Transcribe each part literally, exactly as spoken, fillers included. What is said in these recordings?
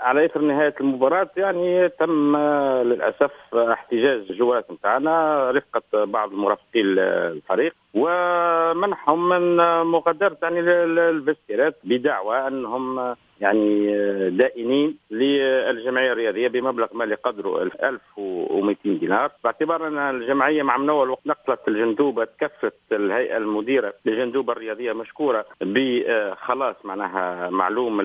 على اثر نهاية المباراة يعني تم للاسف احتجاز الجوارات نتاعنا رفقه بعض المرافقين الفريق ومنحهم من مغادرة يعني الفستيرات بدعوى انهم يعني دائنين للجمعية الرياضية بمبلغ مالي قدره ألف ومئتين دينار، باعتبار ان الجمعية مع من اول وقت نقلت الجندوبه تكفت الهيئة المديرة للجندوبه الرياضية مشكورة بخلاص معناها معلوم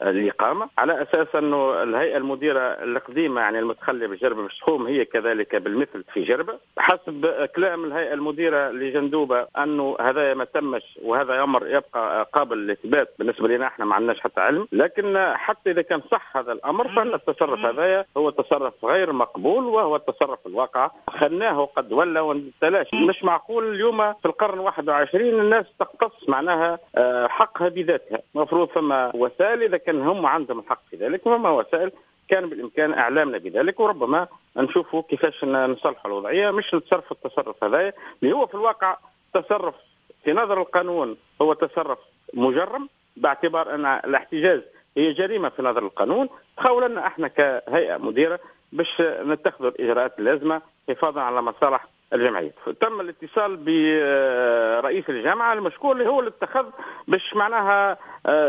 الاقامة، على اساس انه الهيئة المديرة القديمة يعني المتخليه بجربه بالشخوم هي كذلك بالمثل في جربه. حسب كلام الهيئة المديرة لجندوبه انه هذا ما تمش وهذا امر يبقى قابل للاثبات بالنسبة لنا، احنا ما عندناش حتى علم، لكن حتى اذا كان صح هذا الامر فان التصرف هذايا هو تصرف غير مقبول وهو التصرف الواقع خلناه قد ولى وتلاشى. مش معقول اليوم في القرن واحد وعشرين الناس تقتص معناها حقها بذاتها. المفروض فما وسائل اذا كان هم عندهم الحق في ذلك، فما وسائل كان بالامكان اعلامنا بذلك وربما نشوفوا كيفاش نصلحوا الوضعية، مش نتصرف التصرف هذايا اللي هو في الواقع تصرف في نظر القانون هو تصرف مجرم، باعتبار ان الاحتجاز هي جريمة في نظر القانون. تخول لنا احنا كهيئة مديره باش نتخذ الاجراءات اللازمة حفاظا على مصالح الجمعية. تم الاتصال برئيس الجامعة المشكور اللي هو اللي اتخذ باش معناها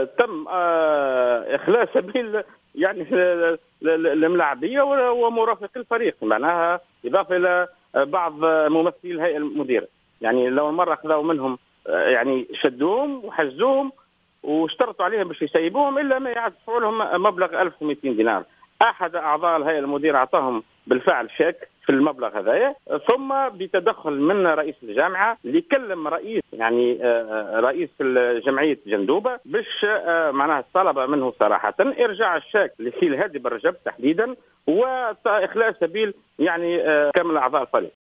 تم اخلاء سبيل يعني الملاعبيه ومرافقي الفريق، معناها اضافه الى بعض ممثلي الهيئة المديرة. يعني لو مرة اخذوا منهم يعني شدوهم وحجزوهم واشترطوا عليهم باش يسيبوهم الا ما يدفعوا لهم مبلغ ألف ومئتين دينار. احد اعضاء الهيئة المديرة اعطاهم بالفعل شيك في المبلغ هذايا، ثم بتدخل من رئيس الجامعة اللي كلم رئيس يعني رئيس جمعية جندوبه باش معناها طلب منه صراحة ارجاع الشيك لسي الهادي بالرجب تحديدا واخلاء سبيل يعني كامل اعضاء الفريق.